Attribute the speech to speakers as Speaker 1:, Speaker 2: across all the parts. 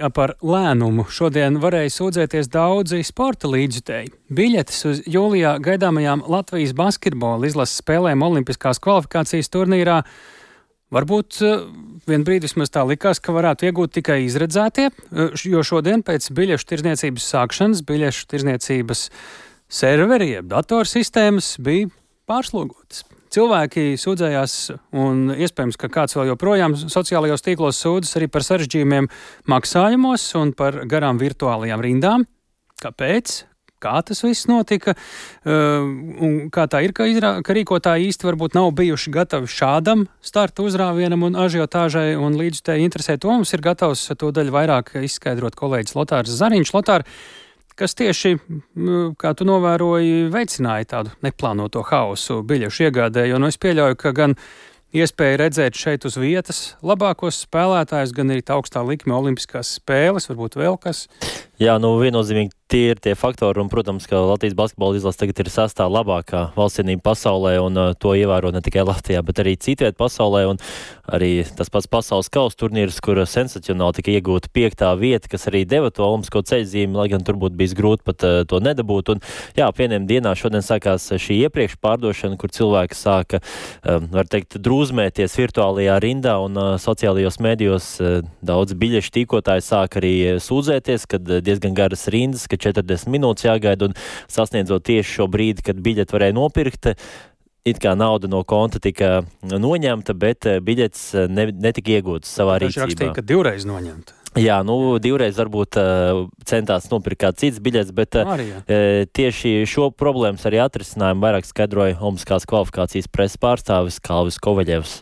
Speaker 1: Jā, par lēnumu šodien varēja sūdzēties daudzi sporta līdzjutēji. Biļetes uz jūlijā gaidāmajām Latvijas basketbola izlases spēlēm Olimpiskās kvalifikācijas turnīrā varbūt vien brīdi vismaz tā likās, ka varētu iegūt tikai izredzētie, jo šodien pēc biļešu tirdzniecības sākšanas biļešu tirdzniecības serveri, jeb datorsistēmas bija pārslogotas. Cilvēki sūdzējās, un iespējams, ka kāds vēl joprojām sociālajos tīklos sūdzas arī par sarežģījumiem maksājumos un par garām virtuālajām rindām. Kāpēc? Kā tas viss notika? Un kā tā ir, ka rīkotāji īsti varbūt nav bijuši gatavi šādam starta uzrāvienam un ažiotāžai, un līdzjutēji interesē to mums ir gatavs to daļu vairāk izskaidrot kolēģis Lotārs Zariņš. Lotār, kas tieši, kā tu novēroji, veicināja tādu neplānoto haosu biļešu iegādē, jo es pieļauju, ka gan iespēja redzēt šeit uz vietas labākos spēlētājus, gan arī tā augstā likme olimpiskās spēles, varbūt vēl kas?
Speaker 2: Jā, viennozīmīgi tie ir tie faktori, un, protams, ka Latvijas basketbola izlase tagad ir sastā labākā valstsienība pasaulē, un to ievēro ne tikai Latvijā, bet arī citviet pasaulē, un arī tas pats pasaules kausa turnīrs, kur sensacionāli tika iegūta 5. vieta, kas arī deva to olimpisko ceļzīmi, lai gan tur būtu bijis grūti pat to nedabūt. Un jā, vieniem dienā šodien sākās šī iepriekš pārdošana, kur cilvēki sāka, var teikt, drūzmēties virtuālajā rindā, un sociālajos mēdījos daudz biļešu tīkotāji sāka arī sūdzēties, kad diezgan garas rindas, ka 40 minūtes jāgaida, un sasniedzot tieši šo brīdi, kad biļeti varēja nopirkt, it kā nauda no konta tika noņemta, bet biļetes netika iegūtas savā rīcībā.
Speaker 1: Viņš rakstīja, ka 2 reizes noņemta.
Speaker 2: Jā, 2 reizes varbūt centās nopirkt kāds cits biļets, bet tieši šo problēmas arī atrisinājumu vairāk skaidroja Olimpiskās kvalifikācijas preses pārstāvis Kalvis Kovaļevs.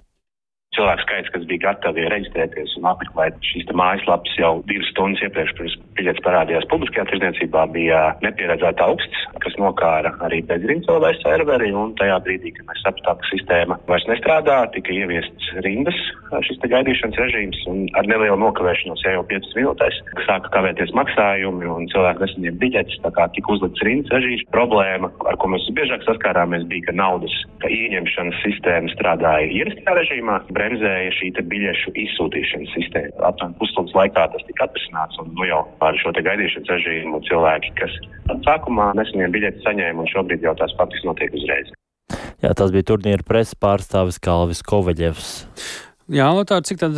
Speaker 3: Cilvēku skaits, kas bija gatavi reģistrēties un apmeklēt šīs mājaslapas jau 2 stundas iepriekš, pirms biļetes parādījās publiskajā tirdzniecībā, bija nepieredzēta augsts, kas nokāra arī bezrindas serveri, un tajā brīdī, kad mēs sapratām, ka sistēma vairs nestrādā, tika ieviests rindas šis gaidīšanas režīms, un ar nelielu nokavēšanos jau 5 minūtēs sāka kavēties maksājumi, un cilvēki nesaņēma biļetes, tā kā tika uzlikts rindas režīms. Problēma, ar ko mēs biežāk saskārāmies, bija, ka naudas ieņemšanas sistēma strādāja ierastajā režīmā, bremzēja šī biļešu izsūtīšanas sistēma. Aptuveni pusstundas laikā tas tika atrisināts, un jau par šo gaidīšanas režīmu cilvēki, kas sākumā nesaņēma biļetes, saņēma, un šobrīd jau tās faktiski notiek uzreiz.
Speaker 2: Jā, tas bija turnīra preses pārstāvis Kalvis Kovaļevs.
Speaker 1: Jā, Lotār, cik tad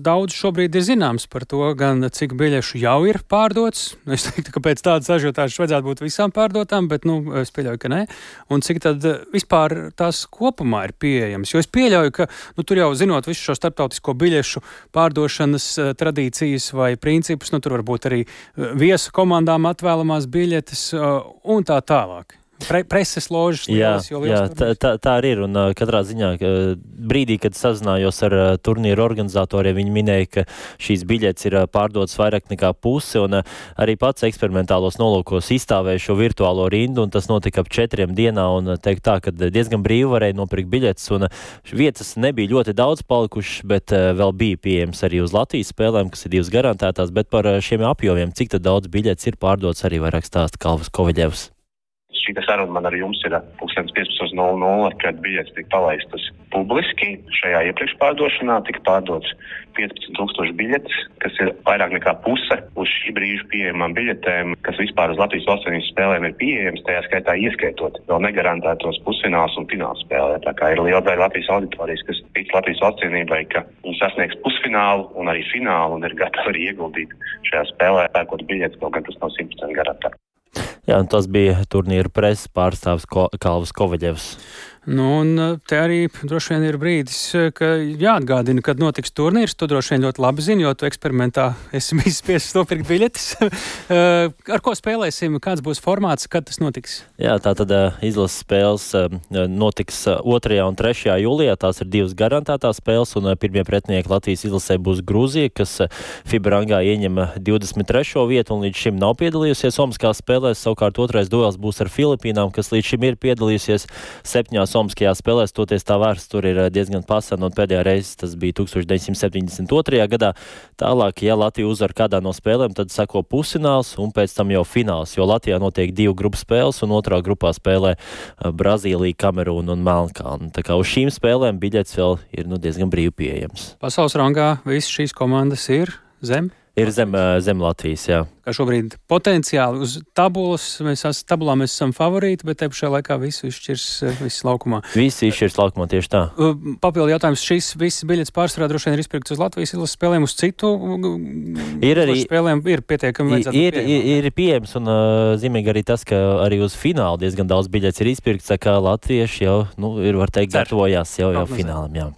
Speaker 1: daudz šobrīd ir zināms par to, gan cik biļešu jau ir pārdots? Es teiktu, ka pēc tādas ažiotāžas vajadzētu būt visām pārdotām, bet, es pieļauju, ka nē. Un cik tad vispār tās kopumā ir pieejams? Jo es pieļauju, ka, tur jau zinot visu šo starptautisko biļešu pārdošanas tradīcijas vai principus, tur varbūt arī viesu komandām atvēlamās biļetes un tā tālāk. Preses ložas lielas, jo liels turnīrs.
Speaker 2: Tā arī ir, un katrā ziņā brīdī, kad sazinājos ar turnīru organizatoriem, viņi minēja, ka šīs biļetes ir pārdotas vairāk nekā pusi, un arī pats eksperimentālos nolūkos izstāvēja šo virtuālo rindu, un tas notika ap 4 dienā, un teikt tā, ka diezgan brīvi varēja nopirkt biļetes, un vietas nebija ļoti daudz palikušas, bet vēl bija pieejams arī uz Latvijas spēlēm, kas ir 2 garantētās, bet par šiem apjomiem, cik tad daudz biļetes ir pārdotas, arī vairāk stāsta Kalvis Kovaļevs.
Speaker 3: Šī saruna man ar jums ir 15:00, kad biļetes tika palaistas publiski. Šajā iepriekš pārdošanā tika pārdots 15,000 biļetes, kas ir vairāk nekā puse uz šī brīža pieejamām biļetēm, kas vispār uz Latvijas valstsvienības spēlēm ir pieejams, tajā skaitā ieskaitot vēl negarantētos pusfināls un fināls spēlē. Tā kā ir liela daļa Latvijas auditorijas, kas tic Latvijas valstsvienībai, ka viņi sasniegs pusfinālu un arī finālu un ir gatavi arī ieguldīt šajā spēlē, pērkot biļetes, kaut gan tas nav 100% garantēts.
Speaker 2: Jā, un tas bija turnīra preses pārstāvis Kalvis Kovaļevs.
Speaker 1: Un te arī droši vien ir brīdis, ka jāatgādina, kad notiks turnīrs. Tu droši vien ļoti labi zini, jo tu eksperimentā esi bijis spiests nopirkt biļetes. Ar ko spēlēsim? Kāds būs formāts? Kad tas notiks?
Speaker 2: Jā, tātad izlases spēles notiks 2. un 3. jūlijā. Tās ir 2 garantētās spēles, un pirmie pretinieki Latvijas izlasē būs Grūzija, kas FIBA rangā ieņem 23. vietu un līdz šim nav piedalījusies Olimpiskās spēlēs. Savukārt 2. duels būs ar Filipīnām, kas līdz šim ir piedalījusies 7 Olimpiskajās spēlēs, toties tā vēsture ir diezgan pasena, un pēdējā reize tas bija 1972. gadā. Tālāk, ja Latvija uzvar kādā no spēlēm, tad sako pusfināls un pēc tam jau fināls, jo Latvijā notiek 2 grupu spēles, un otrā grupā spēlē Brazīlija, Kamerūna un Melnkalne. Tā kā uz šīm spēlēm biļetes vēl ir diezgan brīvi pieejams.
Speaker 1: Pasaules rangā visas šīs komandas ir zem
Speaker 2: Ir zem Latvijas, jā.
Speaker 1: Kā šobrīd potenciāli uz tabulā mēs esam favorīti, bet te pašā laikā viss izšķirs viss laukumā.
Speaker 2: Visi izšķirs laukumā, tieši tā.
Speaker 1: Papildu jautājums, šīs visas biļetes pārsvarā droši vien ir izpirktas uz Latvijas izlases spēlēm, uz citu spēlēm ir pietiekami
Speaker 2: ir pieejams, un zīmīgi arī tas, ka arī uz finālu diezgan daudz biļetes ir izpirktas, tā kā latvieši jau, ir, var teikt, gatavojās jau finālam, jā.